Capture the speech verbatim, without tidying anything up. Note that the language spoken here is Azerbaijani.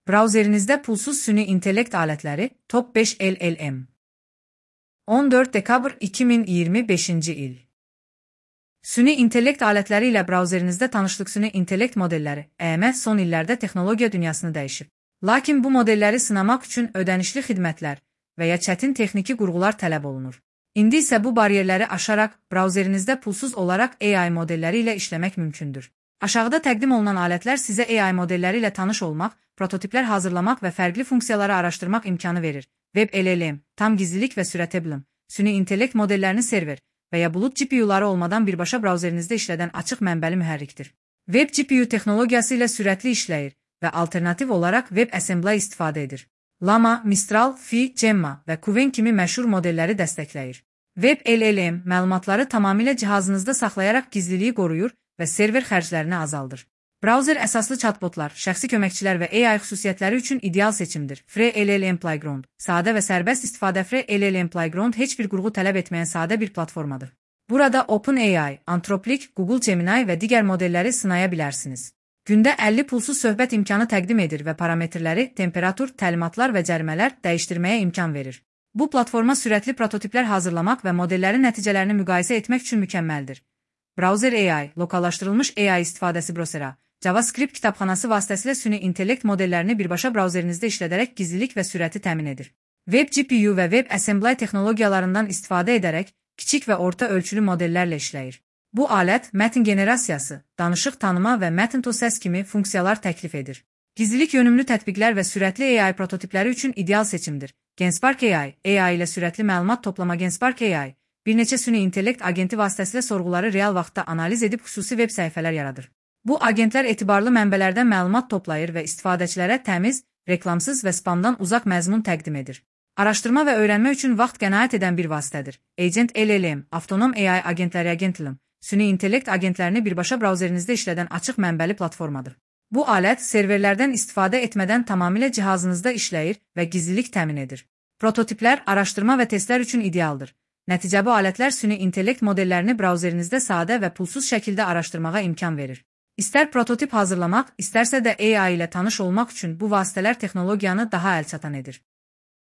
Brauzerinizdə pulsuz süni intellekt alətləri Top beş L L M. on dörd dekabr iki min iyirmi beşinci il. Süni intellekt alətləri ilə brauzerinizdə tanışlıq. Süni intellekt modelləri E M son illərdə texnologiya dünyasını dəyişib. Lakin bu modelləri sınamaq üçün ödənişli xidmətlər və ya çətin texniki qurğular tələb olunur. İndi isə bu bariyerləri aşaraq brauzerinizdə pulsuz olaraq A I modelləri ilə işləmək mümkündür. Aşağıda təqdim olunan alətlər sizə A I modelləri ilə tanış olmaq, prototiplər hazırlamaq və fərqli funksiyaları araşdırmaq imkanı verir. Web L L M, tam gizlilik və sürətli, süni intellekt modellərini server və ya bulut G P U'ları olmadan birbaşa brauzerinizdə işlədən açıq mənbəli mühərrikdir. Web G P U texnologiyası ilə sürətli işləyir və alternativ olaraq WebAssembly istifadə edir. Llama, Mistral, Phi, Gemma və Kuven kimi məşhur modelləri dəstəkləyir. Web L L M məlumatları tamamilə cihazınızda saxlayaraq gizliliyi qoruyur və server xərclərini azaldır. Brauzer əsaslı chatbotlar, şəxsi köməkçilər və A I xüsusiyyətləri üçün ideal seçimdir. Free L L M Playground, sadə və sərbəst istifadə. Free L L M Playground heç bir qurğu tələb etməyən sadə bir platformadır. Burada OpenAI, Anthropic, Google Gemini və digər modelləri sınaya bilərsiniz. Gündə əlli pulsuz söhbət imkanı təqdim edir və parametrləri, temperatur, təlimatlar və cərimələr dəyişdirməyə imkan verir. Bu platforma sürətli prototiplər hazırlamaq və modellərin nəticələrini müqayisə etmək üçün mükəmməldir. Browser A I, lokallaşdırılmış A I istifadəsi Browser'a, JavaScript kitabxanası vasitəsilə süni intellekt modellərini birbaşa brauzerinizdə işlədərək gizlilik və sürəti təmin edir. Web G P U və WebAssembly texnologiyalarından istifadə edərək kiçik və orta ölçülü modellərlə işləyir. Bu alət mətn generasiyası, danışıq tanıma və mətn to səs kimi funksiyalar təklif edir. Gizlilik yönümlü tətbiqlər və sürətli A I prototipləri üçün ideal seçimdir. Genspark A I, A I ilə sürətli məlumat toplama. Genspark A I, bir neçə süni intellekt agenti vasitəsilə sorğuları real vaxtda analiz edib xüsusi veb səhifələr yaradır. Bu agentlər etibarlı mənbələrdən məlumat toplayır və istifadəçilərə təmiz, reklamsız və spamdan uzaq məzmun təqdim edir. Araşdırma və öyrənmə üçün vaxt qənaət edən bir vasitədir. Agent L L M, avtonom A I agentləri. Agentlim, süni intellekt agentlərini birbaşa brauzerinizdə işlədən açıq mənbəli platformadır. Bu alət serverlərdən istifadə etmədən tamamilə cihazınızda işləyir və gizlilik təmin edir. Prototiplər, araşdırma və testlər üçün idealdır. Nəticə bu alətlər süni intellekt modellərini brauzerinizdə sadə və pulsuz şəkildə araşdırmağa imkan verir. İstər prototip hazırlamaq, istərsə də A I ilə tanış olmaq üçün bu vasitələr texnologiyanı daha əlçatan edir.